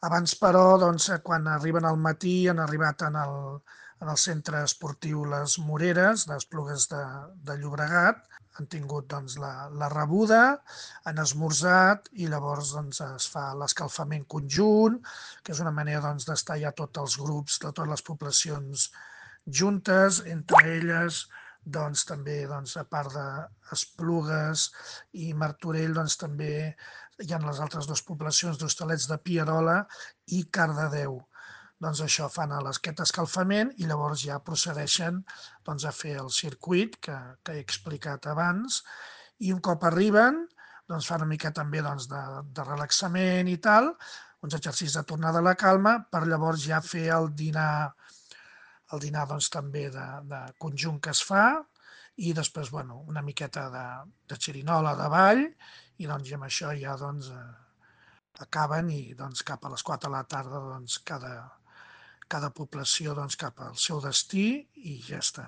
Abans, però, doncs, quan arriben al matí, han arribat en el centre esportiu Les Moreres, d'Esplugues de Llobregat, han tingut doncs, la rebuda, han esmorzat i llavors doncs, es fa l'escalfament conjunt, que és una manera doncs, d'estar ja tots els grups de totes les poblacions juntes, entre elles doncs, també, doncs, a part d'Esplugues i Martorell, doncs, també hi ha les altres dues poblacions d'Hostalets de Pierola i Cardedeu. Doncs això, fan aquest escalfament i llavors ja procedeixen doncs, a fer el circuit que he explicat abans i un cop arriben doncs, fan una mica també doncs, de relaxament i tal, uns exercicis de tornada a la calma per llavors ja fer el dinar doncs, també de conjunt que es fa i després bueno, una miqueta de xerinola de ball i, doncs, i amb això ja doncs, acaben i doncs, cap a les 4 de la tarda doncs, cada població doncs, cap al seu destí i ja està.